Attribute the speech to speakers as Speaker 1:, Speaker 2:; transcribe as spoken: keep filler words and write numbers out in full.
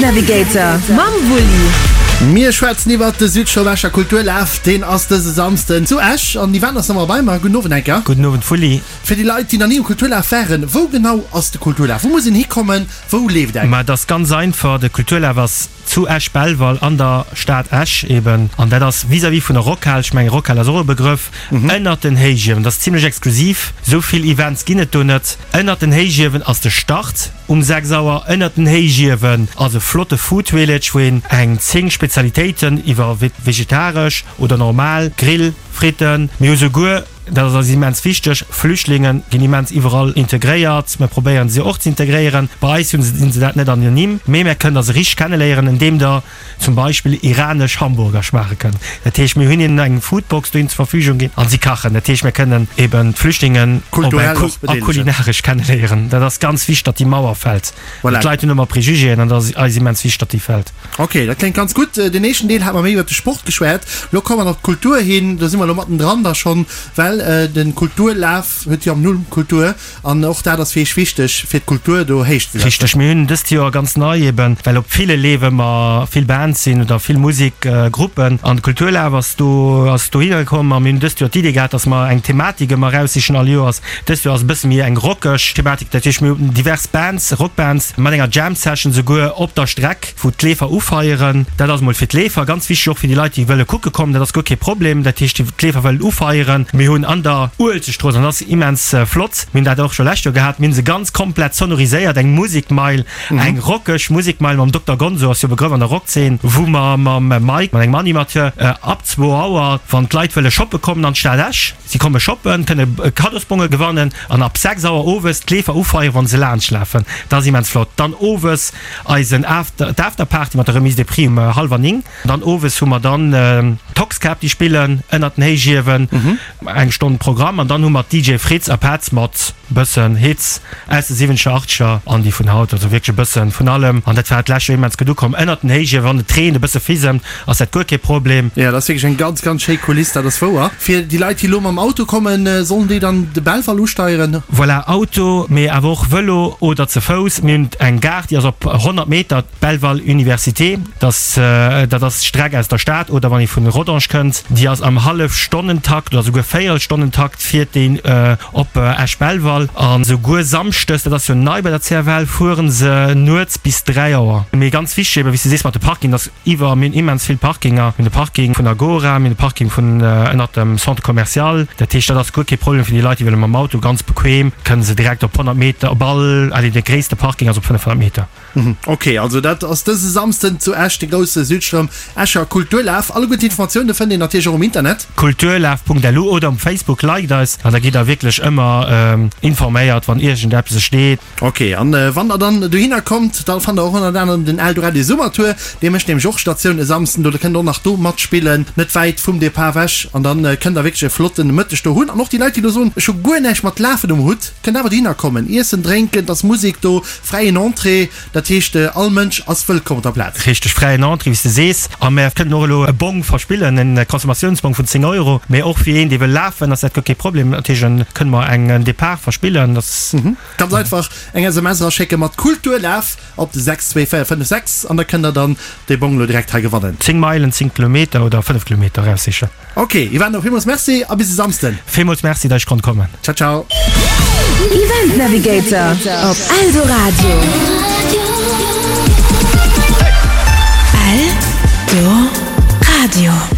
Speaker 1: Navigator mam Wulli.
Speaker 2: Mir schwätzen iwwert de Südstroum Escher Kulturlaf. Deen ass dëse Samsden zu Esch an Yvan ass nach ëmmer bei mer. Gudden Owend Enker.
Speaker 3: Gudden Owend Wulli.
Speaker 2: Fir déi Leit, déi nach ni um Kulturlaf waren, wou genau ass de Kulturlaf? Wou muss een hikommen? Wou leeft eng?
Speaker 3: Ma et ass ganz einfach, de Kulturlaf ass zu Esch-Belval an der Stad Esch eben an dat ass vis-à-vis vun der Rockhal, ech mengen Rockhal ass och e Begrëff, ënnert den Héichiewen. Dat ass zimlech exklusiv, esou vill Events ginn et do net. Ënnert den Héichiewen ass de Start um sechs Auer. Ënnert den Héichiewen ass e flotte Food Village, wou een eng zéng Spezialitéiten iwwer vegetaresch oder normal, Grill, Fritten, mir hu souguer, dat ass eis immens wichteg, Flüchtlinge ginn immens iwwerall integréiert, mir probéieren se och ze integréieren. Bei eis hunn se dat net anonym, mee mir kënnen der se richteg kenneléieren, andeem der zum Beispill iranesch Hamburger schmaache kënnt. Dat heescht, mir hunn hinnen eng Foodbox dohin zur Verfügung ginn an si kachen. Dat heescht, mir kënnen eben d'Flüchtlingen op eng a kulinaresch kenneléieren. Dat ass ganz wichteg, datt déi Mauer fält. Voilà. D'Leit hunn ëmmer Prejugéen an dat ass eis immens wichteg, datt déi fält.
Speaker 2: Ok, dat kléngt ganz gutt. Den éischten Deel hate mer méi iwwert de Sport geschwat. Elo komme mer op d'Kultur hin. Do si mer elo mattendran da schonn, well de Kulturlaf huet jo am Numm Kultur an och dat ass fir iech wichteg, fir d'Kultur do héich ze setzen.
Speaker 3: Richteg. Mir hunn dëst Joer ganz nei eben, well op ville Leef ëmmer vill Bands sinn oder vill Musikgruppen an de Kulturlaf ass do ass dohinner komm a mir hunn dëst Joer d'Idee gehat, dass mer eng Thematik ëmmer eraussichen all Joers. Dëst Joer ass e bësse méi eng rockeg Thematik, dat heescht mir hunn divers Bands, Rockbands mat enger Jam Session souguer op der Streck, wou d'Leefer ufeieren. Dat ass emol fir d'Leefer ganz wichteg, och fir déi Leit déi wëlle kucke kommen, dat ass guer kee Problem. Dat heescht déi d'Leefer wëllen ufeieren. Mir hunn an der Uelzechtstrooss, an dat ass immens flott, mir hunn dat och scho lescht Joer gehat, mir hunn se ganz komplett sonoriséiert, eng Musikmeil, eng rockeg Musikmeil mam Dokter Gonzo, ass jo e Begrëff an der Rockzeen, wou mer mam Mike, mat engem Animateur, ab zwou Auer, wann d'Leit wëlle shoppe kommen an d'Stad Esch, si komme shoppen, kënne Kaddosbonge gewannen an ab sechs Auer owes d'Leefer ufeieren, wa se laanschtlafen. Dat ass immens flott. Dann owes eisen After, d'Afterparty mat der Remise des Prix um hallwer néng. Dann owes hu mer dann d'Toxcap, déi spillen ënnert den Héichiewen, eng Stonn Programm an dann hu mer d'DJ Fritz a Petz mat bëssen Hits aus de siwwenzeger, achtzeger an déi vun haut, also wierklech e bëssen vun allem an dat war d'lescht Joer immens gutt ukomm. Ënnert den Héichiewen, wann et reent, e bësse fisemt, ass dat guer kee Problem.
Speaker 2: Jo, dat ass wierklech eng ganz, ganz schéi Kuliss, dat ass wouer. Fir déi Leit, déi elo mam Auto kommen, sollen déi dann de Belval usteieren?
Speaker 3: Voilà, Auto, mee awer och Vëlo oder ze Fouss. Mir hunn eng Gare, déi ass op honnert Meter, d'Belval Université, dat dat ass d'Streck aus der Stad oder wann ee vun Rodange kënnt, déi ass am Hallefstonnentakt oder souguer Véierelstonnentakt fiert déi op Esch-Belval. A souguer samschdes, dat ass jo nei bei der C F L, fuere se nuets bis dräi Auer. Mee ganz wichteg ebe wéi s de sees mat de Parking, dass iwwer, mir hunn immens vill Parkinger, mir hunn de Parking vun Agora, mir hunn de Parking vun ënnert dem Centre commercial. Dat heescht, dat ass guer kee Problem fir déi Leit, déi wëlle mam Auto ganz bequem, kënne se direkt op honnert Meter, op all, allez, de gréisste Parking ass op fënnefhonnert Meter.
Speaker 2: Ok, also dat ass dëse Samsden zu Esch, de grousse Südstroum Escher Kulturlaf. Alleguer d'Informatioune fënnt een natierlech och um Internet.
Speaker 3: Kulturlaf Punkt L U oder um Facebook, liked eis an da gitt der wierklech ëmmer informéiert, wann iergendeppes steet.
Speaker 2: Ok, an wann der dann dohinner kommt, da fannt der och ënnert anerem den Eldoradio Summertour. Dee mécht nämlech och Statioun e Samsden do. Da kënnt der och nach do matspillen, net wäit vum Depart ewech. An dann kënnt der wierklech e flotten Mëtteg do hunn. An och déi Leit, déi elo soen, ech hu guer näischt mat Lafen um Hutt, kënnt awer dohinner kommen, iessen, drénken, et ass Musek do, fräien Entrée. Dat heescht, all Mënsch ass wëllkomm op der Plaz.
Speaker 3: Richteg, fräien Entrée, wéi s de sees. A mär kënnen och elo e Bong verspillen, en Consommatiounsbong vun zéng Euro. Mee och fir een, dee wëll lafen, ass dat guer kee Problem. Dat heescht, da kënne mer eng Depart verspillen. Dat ass.
Speaker 2: Ganz einfach eng S M S eraschécke mat Kulturlaf op de sechs zwee véier fënnef sechs an da kënnt der dann dee Bong elo direkt hei gewannen.
Speaker 3: Zéng Meilen, zéng Kilometer oder fënnef Kilometer eraussichen.
Speaker 2: Ok, Ivano, villmools Merci a bis e Samsden.
Speaker 3: Villmools Merci, datt ech konnt kommen.
Speaker 2: Ciao, ciao.
Speaker 1: Event Navigator op Eldoradio. Eldoradio.